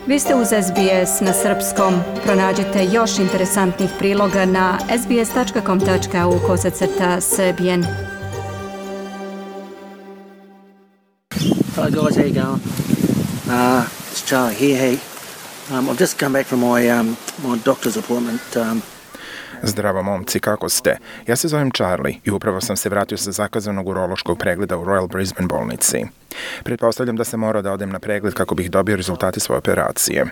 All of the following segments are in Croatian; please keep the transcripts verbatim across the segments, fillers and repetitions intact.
Vi ste uz S B S na srpskom. Pronađite još interesantnih priloga na sbs.com.au kosacrta srbijen. Hello guys, how you going? Uh, it's Charlie here. Hey, um, I've just come back from my um, my doctor's appointment. Um, Zdravo momci, kako ste? Ja se zovem Charlie i upravo sam se vratio sa zakazanog urološkog pregleda u Royal Brisbane bolnici. Pretpostavljam da sam morao da odem na pregled kako bih dobio rezultate svoje operacije.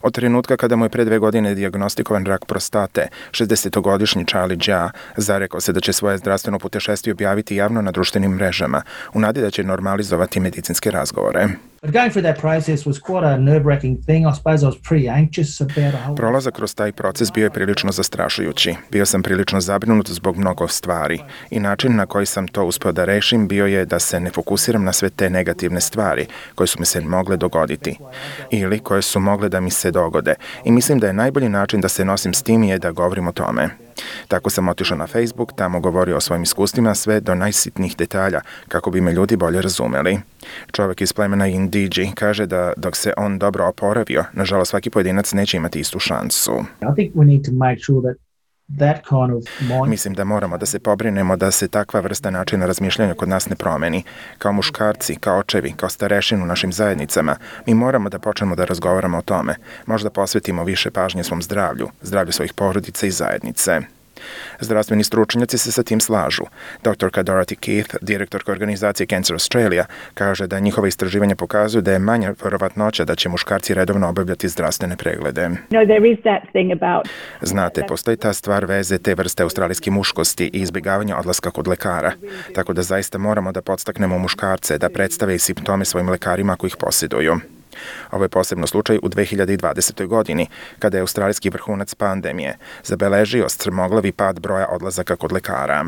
Od trenutka kada mu je pre dve godine dijagnostikovan rak prostate, šezdesetogodišnji Charlie Jia zarekao se da će svoje zdravstveno putešestvije objaviti javno na društvenim mrežama, u nadi da će normalizovati medicinske razgovore. Prolazak kroz taj proces bio je prilično zastrašujući. Bio sam prilično zabrinut zbog mnogo stvari i način na koji sam to uspeo da rešim bio je da se ne fokusiram na sve te negativne stvari koje su mi se mogle dogoditi ili koje su mogle da mi se dogode i mislim da je najbolji način da se nosim s tim je da govorim o tome. Tako sam otišao na Facebook, tamo govorio o svojim iskustvima sve do najsitnijih detalja kako bi me ljudi bolje razumeli. Čovjek iz plemena Indiji kaže da dok se on dobro oporavio, nažalost svaki pojedinac neće imati istu šansu. Mislim da moramo da se pobrinemo da se takva vrsta načina razmišljanja kod nas ne promeni. Kao muškarci, kao očevi, kao starešin u našim zajednicama, mi moramo da počnemo da razgovaramo o tome. Možda posvetimo više pažnje svom zdravlju, zdravlju svojih porodica i zajednice. Zdravstveni stručnjaci se sa tim slažu. doktorka Dorothy Keith, direktorka organizacije Cancer Australia, kaže da njihova istraživanja pokazuju da je manja verovatnoća da će muškarci redovno obavljati zdravstvene preglede. Znate, postoji ta stvar veze te vrste australijske muškosti i izbjegavanja odlaska kod lekara. Tako da zaista moramo da podstaknemo muškarce da predstave i simptome svojim lekarima ako ih posjeduju. Ovo je posebno slučaj u dve hiljade dvadesetoj. godini, kada je australijski vrhunac pandemije zabeležio strmoglavi pad broja odlazaka kod lekara.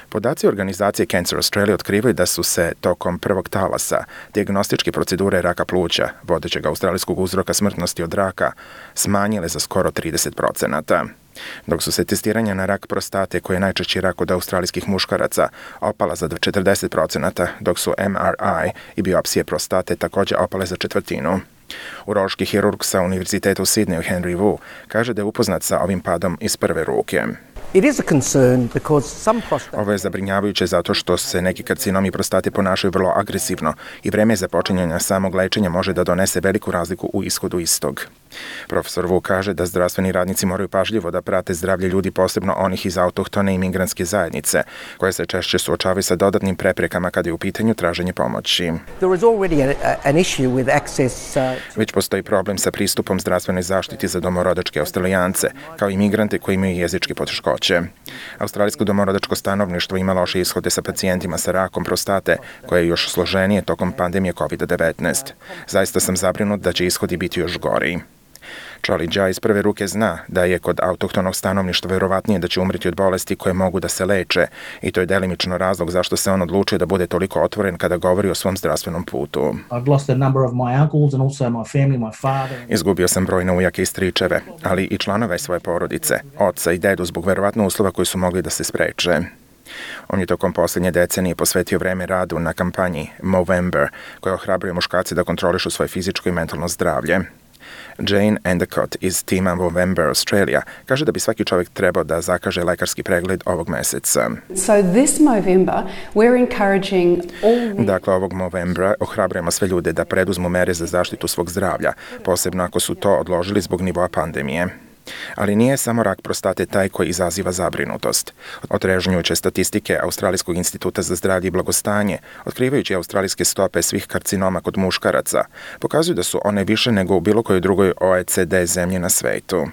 Podaci organizacije Cancer Australia otkrivaju da su se tokom prvog talasa dijagnostičke procedure raka pluća, vodećeg australijskog uzroka smrtnosti od raka, smanjile za skoro trideset procenata. Dok su se testiranja na rak prostate, koji je najčešći rak kod australijskih muškaraca, opala za četrdeset procenata, dok su M R I i biopsije prostate također opale za četvrtinu. Urološki hirurg sa Univerziteta u Sidneju Henry Wu kaže da je upoznat sa ovim padom iz prve ruke. Ovo je zabrinjavajuće zato što se neki karcinomi prostate ponašaju vrlo agresivno i vreme započinjanja samog lečenja može da donese veliku razliku u ishodu istog. Profesor Wu kaže da zdravstveni radnici moraju pažljivo da prate zdravlje ljudi, posebno onih iz autohtone i migrantske zajednice, koje se češće suočavaju sa dodatnim preprekama kada je u pitanju traženje pomoći. Već postoji problem sa pristupom zdravstvenoj zaštiti za domorodačke Australijance, kao i migrante koji imaju jezičke poteškoće. Australijsko domorodačko stanovništvo ima loše ishode sa pacijentima sa rakom prostate, koje je još složenije tokom pandemije kovid devetnaest. Zaista sam zabrinut da će ishodi biti još gori. Charlie Jia iz prve ruke zna da je kod autohtonog stanovništva verovatnije da će umreti od bolesti koje mogu da se leče i to je delimično razlog zašto se on odlučio da bude toliko otvoren kada govori o svom zdravstvenom putu. Izgubio sam brojne ujake i stričeve, ali i članove svoje porodice, oca i dedu zbog verovatno uslova koji su mogli da se spreče. On je tokom posljednje decenije posvetio vreme radu na kampanji Movember, koja ohrabruje muškarce da kontrolišu svoje fizičko i mentalno zdravlje. Jane Endicott iz tima Movember Australia kaže da bi svaki čovjek trebao da zakaže lekarski pregled ovog meseca. So this Movember we're encouraging all the... Dakle, ovog Movembra ohrabrujemo sve ljude da preduzmu mere za zaštitu svog zdravlja, posebno ako su to odložili zbog nivoa pandemije. Ali nije samo rak prostate taj koji izaziva zabrinutost. Otrežnjujuće statistike Australijskog instituta za zdravlje i blagostanje, otkrivajući australijske stope svih karcinoma kod muškaraca, pokazuju da su one više nego u bilo kojoj drugoj O E C D zemlji na svetu.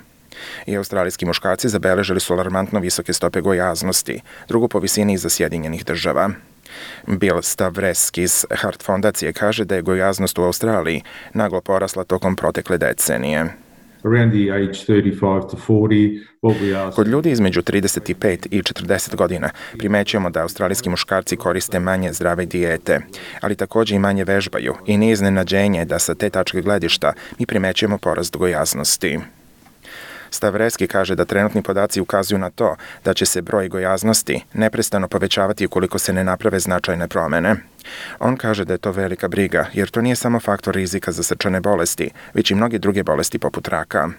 I australijski muškarci zabeležili su alarmantno visoke stope gojaznosti, drugu po visini iza Sjedinjenih država. Bill Stavreski iz Hart fondacije kaže da je gojaznost u Australiji naglo porasla tokom protekle decenije. Kod ljudi između trideset pet i četrdeset godina primećujemo da australijski muškarci koriste manje zdrave dijete, ali također i manje vežbaju i nije iznenađenje da sa te tačke gledišta mi primećujemo porast gojaznosti. Stavreski kaže da trenutni podaci ukazuju na to da će se broj gojaznosti neprestano povećavati ukoliko se ne naprave značajne promene. On kaže da je to velika briga, jer to nije samo faktor rizika za srčane bolesti, već i mnoge druge bolesti poput raka.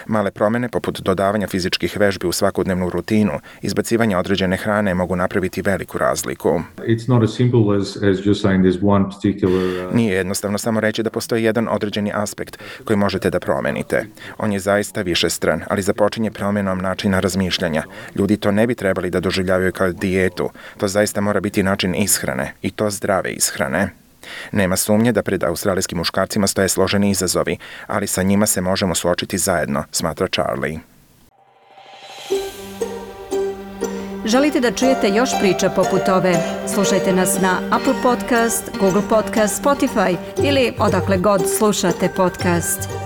Male promene poput dodavanja fizičkih vežbi u svakodnevnu rutinu, izbacivanja određene hrane mogu napraviti veliku razliku. It's not as simple as, as just saying there's one particular, uh... Nije jednostavno samo reći da postoji jedan određeni aspekt koji možete da promenite. On je zaista višestran, ali započinje promjenom načina razmišljanja. Ljudi to ne bi trebali da doživljavaju kao dijetu. To zaista mora biti način ishrane, i to zdrave ishrane. Nema sumnje da pred australijskim muškarcima stoje složeni izazovi, ali sa njima se možemo suočiti zajedno, smatra Charlie. Želite da čujete još priča poput ove? Slušajte nas na Apple Podcast, Google Podcast, Spotify ili odakle god slušate podcast.